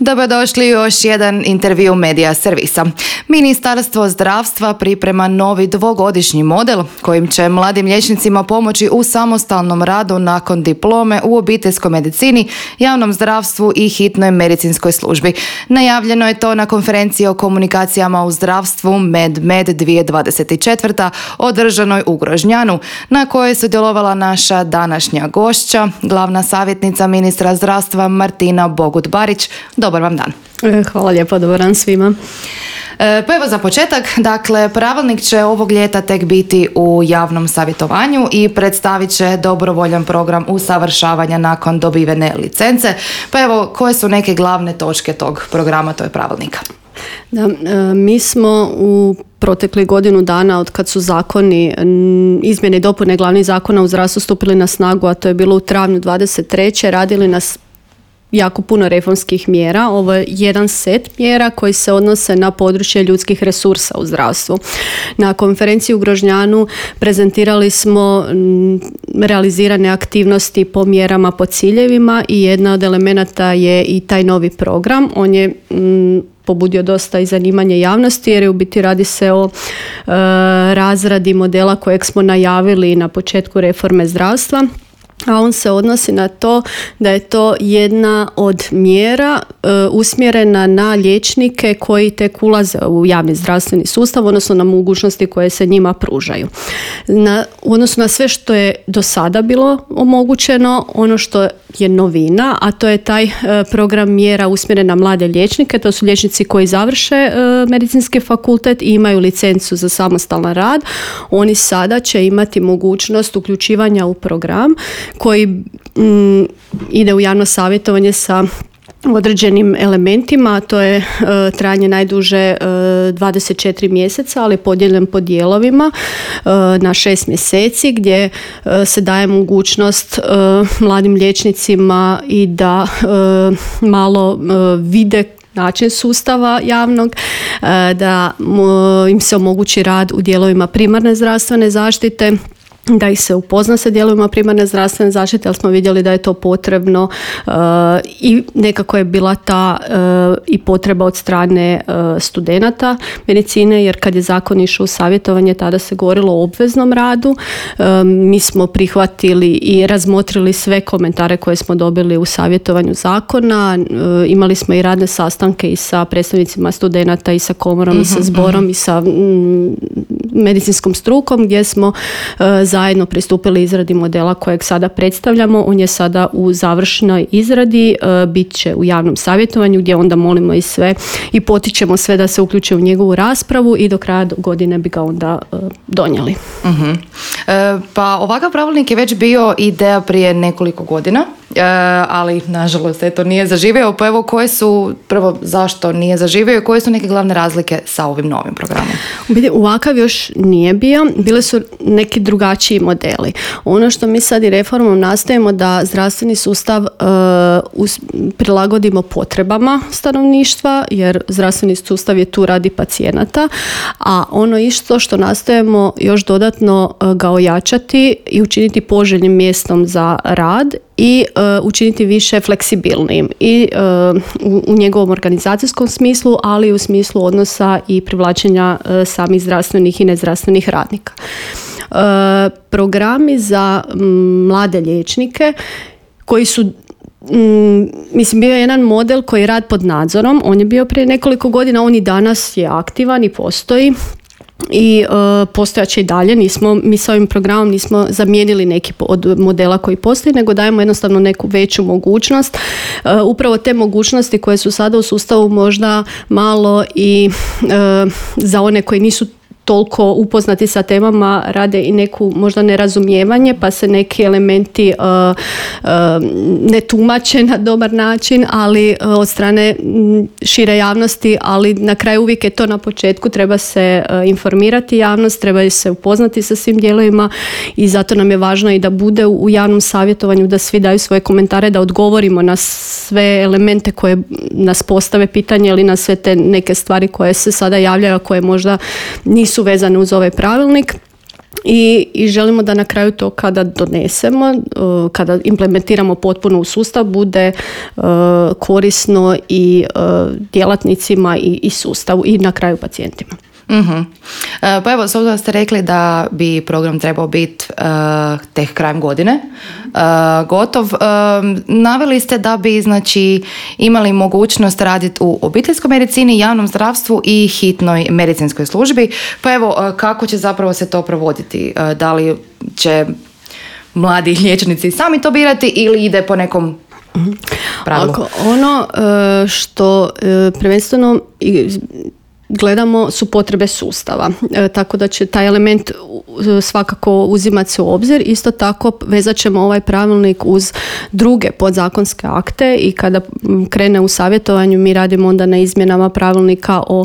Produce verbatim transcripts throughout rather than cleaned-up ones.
Dobrodošli u još jedan intervju Medija servisa. Ministarstvo zdravstva priprema novi dvogodišnji model kojim će mladim liječnicima pomoći u samostalnom radu nakon diplome u obiteljskoj medicini, javnom zdravstvu i hitnoj medicinskoj službi. Najavljeno je to na konferenciji o komunikacijama u zdravstvu MedMed dvije tisuće dvadeset četvrte. održanoj u Grožnjanu, na kojoj je sudjelovala naša današnja gošća, glavna savjetnica ministra zdravstva Martina Bogut-Barić. Dobar vam dan. Hvala lijepo, dobar dan svima. Pa evo za početak, dakle, pravilnik će ovog ljeta tek biti u javnom savjetovanju i predstavit će dobrovoljan program usavršavanja nakon dobivene licence. Pa evo, koje su neke glavne točke tog programa, to je pravilnika? Da, mi smo u protekli godinu dana od kad su zakoni, izmjene i dopune glavnih zakona u zdravstvu stupili na snagu, a to je bilo u travnju dvadeset treće radili na jako puno reformskih mjera. Ovo je jedan set mjera koji se odnose na područje ljudskih resursa u zdravstvu. Na konferenciji u Grožnjanu prezentirali smo realizirane aktivnosti po mjerama, po ciljevima i jedna od elemenata je i taj novi program. On je m, pobudio dosta i zanimanje javnosti jer je u biti radi se o e, razradi modela kojeg smo najavili na početku reforme zdravstva. A on se odnosi na to da je to jedna od mjera e, usmjerena na liječnike koji tek ulaze u javni zdravstveni sustav, odnosno na mogućnosti koje se njima pružaju. Na, u odnosu na sve što je do sada bilo omogućeno, ono što je novina, a to je taj e, program mjera usmjeren na mlade liječnike. To su liječnici koji završe e, medicinski fakultet i imaju licencu za samostalan rad. Oni sada će imati mogućnost uključivanja u program koji mm, ide u javno savjetovanje sa određenim elementima, to je e, trajanje najduže e, dvadeset četiri mjeseca, ali podijeljen po dijelovima e, na šest mjeseci gdje e, se daje mogućnost e, mladim liječnicima i da e, malo e, vide način sustava javnog, da im se omogući rad u dijelovima primarne zdravstvene zaštite, da ih se upozna sa dijelovima primarne zdravstvene zaštite, ali smo vidjeli da je to potrebno uh, i nekako je bila ta uh, i potreba od strane uh, studenata medicine, jer kad je zakon išao u savjetovanje, tada se govorilo o obveznom radu. Uh, mi smo prihvatili i razmotrili sve komentare koje smo dobili u savjetovanju zakona. Uh, imali smo i radne sastanke i sa predstavnicima studenata i sa komorom, mm-hmm, i sa zborom, mm-hmm, i sa mm, medicinskom strukom, gdje smo uh, zajedno pristupili izradi modela kojeg sada predstavljamo. On je sada u završnoj izradi, e, bit će u javnom savjetovanju gdje onda molimo i sve i potičemo sve da se uključe u njegovu raspravu i do kraja godine bi ga onda e, donijeli. Uh-huh. E, pa ovakav pravilnik je već bio ideja prije nekoliko godina, e, ali nažalost eto nije zaživio. Pa evo, koje su, prvo zašto nije zaživio i koje su neke glavne razlike sa ovim novim programom? Ovakav još nije bio, bile su neki drugačiji modeli. Ono što mi sad i reformom nastojimo da zdravstveni sustav uh, us, prilagodimo potrebama stanovništva, jer zdravstveni sustav je tu radi pacijenata, a ono isto što nastojimo još dodatno uh, ga ojačati i učiniti poželjnim mjestom za rad i uh, učiniti više fleksibilnim i uh, u, u njegovom organizacijskom smislu, ali i u smislu odnosa i privlačenja uh, samih zdravstvenih i nezdravstvenih radnika. Uh, programi za m, mlade liječnike koji su m, mislim bio je jedan model koji je rad pod nadzorom, on je bio prije nekoliko godina, on i danas je aktivan i postoji i uh, postojaće i dalje. Nismo, mi s ovim programom nismo zamijenili neki od modela koji postoji, nego dajemo jednostavno neku veću mogućnost. Uh, upravo te mogućnosti koje su sada u sustavu možda malo i uh, za one koji nisu toliko upoznati sa temama rade i neku možda nerazumijevanje, pa se neki elementi uh, uh, ne tumače na dobar način, ali uh, od strane šire javnosti, ali na kraju uvijek je to na početku, treba se uh, informirati javnost, treba se upoznati sa svim dijelovima i zato nam je važno i da bude u javnom savjetovanju, da svi daju svoje komentare, da odgovorimo na sve elemente koje nas postave pitanje ili na sve te neke stvari koje se sada javljaju, a koje možda nisu su vezane uz ovaj pravilnik. I, i želimo da na kraju to kada donesemo, kada implementiramo potpuno u sustav, bude korisno i djelatnicima i, i sustavu i na kraju pacijentima. Uh-huh. Pa evo, s obzirom da ste rekli da bi program trebao biti uh, tek krajem godine uh, gotov, uh, naveli ste da bi znači imali mogućnost raditi u obiteljskoj medicini, javnom zdravstvu i hitnoj medicinskoj službi. Pa evo, uh, kako će zapravo se to provoditi? Uh, da li će mladi liječnici sami to birati ili ide po nekom pravilu? Ako ono uh, što uh, prvenstveno gledamo su potrebe sustava, e, tako da će taj element svakako uzimati se u obzir. Isto tako vezat ćemo ovaj pravilnik uz druge podzakonske akte i kada krene u savjetovanju mi radimo onda na izmjenama pravilnika o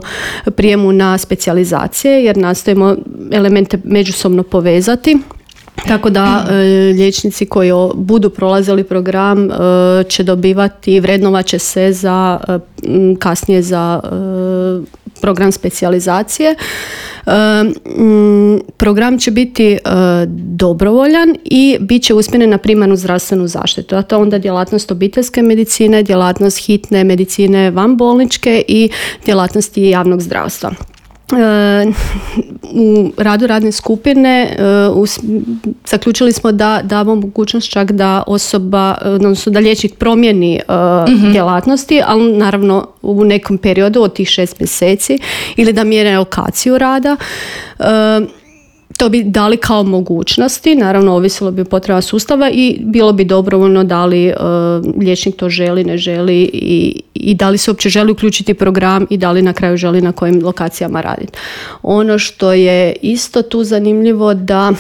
prijemu na specijalizacije jer nastojimo elemente međusobno povezati. Tako da e, liječnici koji o, budu prolazili program e, će dobivati, vrednovat će se za e, kasnije za e, program specijalizacije. E, m, program će biti e, dobrovoljan i bit će usmjeren na primarnu zdravstvenu zaštitu. A to je onda djelatnost obiteljske medicine, djelatnost hitne medicine vanbolničke i djelatnosti javnog zdravstva. U radu radne skupine uh, zaključili smo da damo mogućnost čak da osoba, odnosno da liječnik promijeni uh, mm-hmm. djelatnosti, ali naravno u nekom periodu od tih šest mjeseci ili da mjere lokaciju rada. Uh, To bi dali kao mogućnosti, naravno ovisilo bi o potreba sustava i bilo bi dobrovoljno da li uh, liječnik to želi, ne želi i, i da li se uopće želi uključiti program i da li na kraju želi na kojim lokacijama raditi. Ono što je isto tu zanimljivo da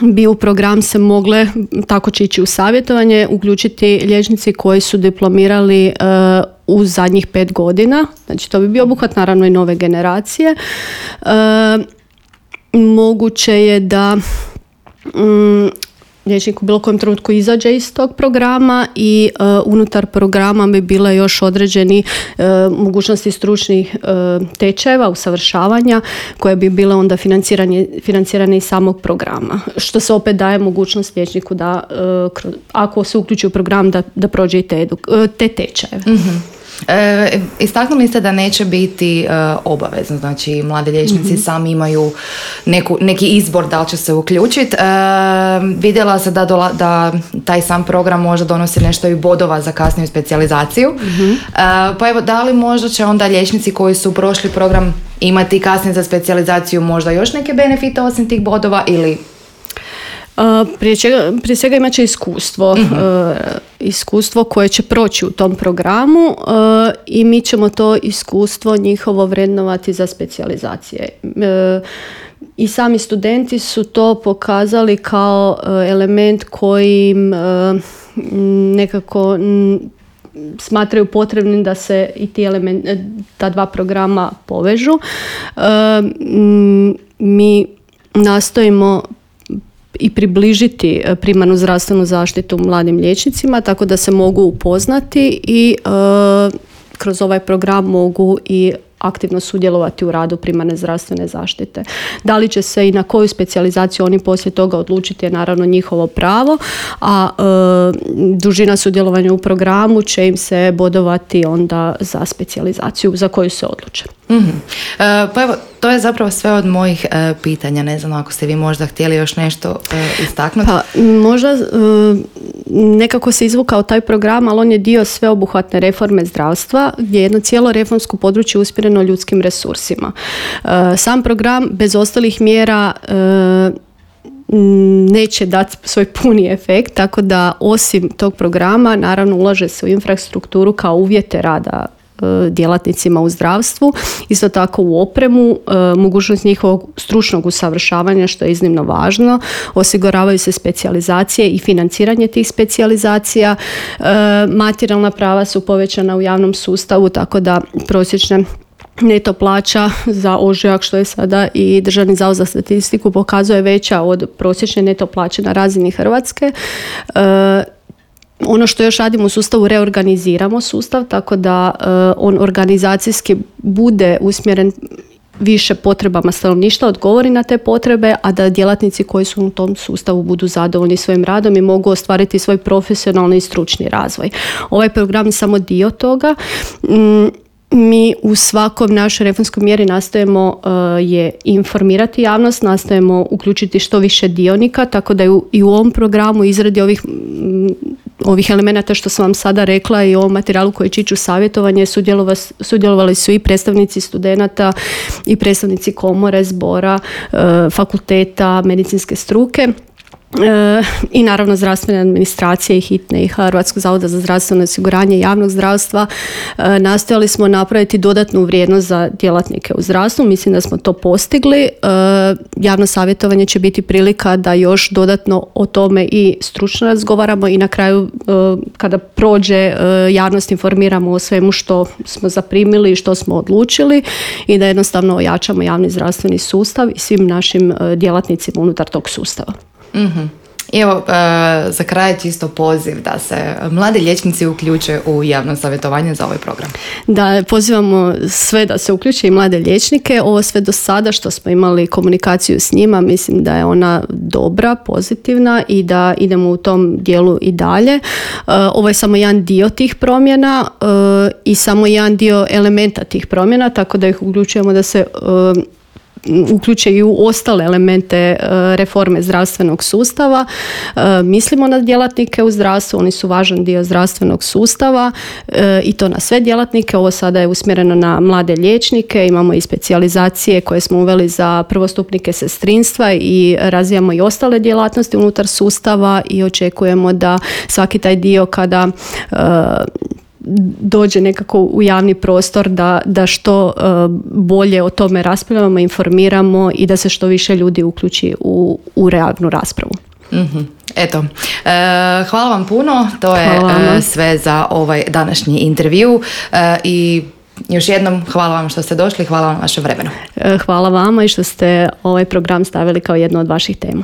bi u program se mogle, tako će ići u savjetovanje, uključiti liječnici koji su diplomirali uh, u zadnjih pet godina. Znači to bi bio obuhvat naravno i nove generacije. Uh, Moguće je da um, liječnik u bilo kojem trenutku izađe iz tog programa i uh, unutar programa bi bile još određeni uh, mogućnosti stručnih uh, tečajeva, usavršavanja koje bi bile onda financirane, financirane iz samog programa. Što se opet daje mogućnost liječniku da uh, kroz, ako se uključi u program da, da prođe i te, edu- te tečajeve. Mm-hmm. E, istaknuli ste da neće biti e, obavezno, znači mladi liječnici mm-hmm. sami imaju neku, neki izbor da li će se uključiti. E, vidjela se da, dola, da taj sam program možda donosi nešto i bodova za kasniju specijalizaciju. Mm-hmm. E, pa evo, da li možda će onda liječnici koji su prošli program imati kasnije za specijalizaciju možda još neke benefite osim tih bodova ili... Uh, prije, čega, prije svega imat će iskustvo, uh-huh. uh, iskustvo koje će proći u tom programu uh, i mi ćemo to iskustvo njihovo vrednovati za specijalizacije. Uh, I sami studenti su to pokazali kao uh, element kojim uh, nekako m, smatraju potrebnim da se i ti element, ta dva programa povežu. Uh, m, mi nastojimo i približiti primarnu zdravstvenu zaštitu mladim liječnicima tako da se mogu upoznati i e, kroz ovaj program mogu i aktivno sudjelovati u radu primarne zdravstvene zaštite. Da li će se i na koju specijalizaciju oni poslije toga odlučiti je naravno njihovo pravo, a e, dužina sudjelovanja u programu će im se bodovati onda za specijalizaciju za koju se odluče. Mm-hmm. E, pa evo, to je zapravo sve od mojih e, pitanja. Ne znam ako ste vi možda htjeli još nešto e, istaknuti. Pa možda e, nekako se izvukao taj program, ali on je dio sveobuhvatne reforme zdravstva gdje je jedno cijelo reformsko područje usmjereno ljudskim resursima. E, sam program bez ostalih mjera e, neće dati svoj puni efekt, tako da osim tog programa naravno ulaže se u infrastrukturu kao uvjete rada djelatnicima u zdravstvu, isto tako u opremu, mogućnost njihovog stručnog usavršavanja što je iznimno važno, osiguravaju se specijalizacije i financiranje tih specijalizacija, materijalna prava su povećana u javnom sustavu, tako da prosječne neto plaća za ožujak, što je sada i Državni zavod za statistiku pokazuje veća od prosječne neto plaće na razini Hrvatske. Ono što još radimo u sustavu, reorganiziramo sustav tako da uh, on organizacijski bude usmjeren više potrebama stanovništva odgovori na te potrebe, a da djelatnici koji su u tom sustavu budu zadovoljni svojim radom i mogu ostvariti svoj profesionalni i stručni razvoj. Ovaj program je samo dio toga. Mi u svakom našoj reformskoj mjeri nastojimo uh, je informirati javnost, nastojimo uključiti što više dionika, tako da u, i u ovom programu izradi ovih m, ovih elemenata što sam vam sada rekla i u ovom materijalu koji će ići u savjetovanje sudjelovali, sudjelovali su i predstavnici studenata i predstavnici komore, zbora, uh, fakulteta, medicinske struke. E, i naravno zdravstvene administracije i hitne i Hrvatskog zavoda za zdravstveno osiguranje i javnog zdravstva. E, nastojali smo napraviti dodatnu vrijednost za djelatnike u zdravstvu, mislim da smo to postigli. E, javno savjetovanje će biti prilika da još dodatno o tome i stručno razgovaramo i na kraju e, kada prođe e, javnost informiramo o svemu što smo zaprimili i što smo odlučili i da jednostavno ojačamo javni zdravstveni sustav i svim našim e, djelatnicima unutar tog sustava. Mm-hmm. I evo, e, za kraj čisto poziv da se mladi liječnici uključe u javno savjetovanje za ovaj program. Da, pozivamo sve da se uključe i mlade liječnike. Ovo sve do sada što smo imali komunikaciju s njima, mislim da je ona dobra, pozitivna i da idemo u tom dijelu i dalje. E, ovo je samo jedan dio tih promjena e, i samo jedan dio elementa tih promjena, tako da ih uključujemo da se e, uključe i u ostale elemente reforme zdravstvenog sustava. Mislimo na djelatnike u zdravstvu, oni su važan dio zdravstvenog sustava i to na sve djelatnike. Ovo sada je usmjereno na mlade liječnike, imamo i specijalizacije koje smo uveli za prvostupnike sestrinstva i razvijamo i ostale djelatnosti unutar sustava i očekujemo da svaki taj dio kada dođe nekako u javni prostor da, da što uh, bolje o tome raspravljamo, informiramo i da se što više ljudi uključi u, u realnu raspravu. Mm-hmm. Eto, e, hvala vam puno, to je e, sve za ovaj današnji intervju e, i još jednom hvala vam što ste došli, hvala vam vaše vremenu. Hvala vama i što ste ovaj program stavili kao jednu od vaših tema.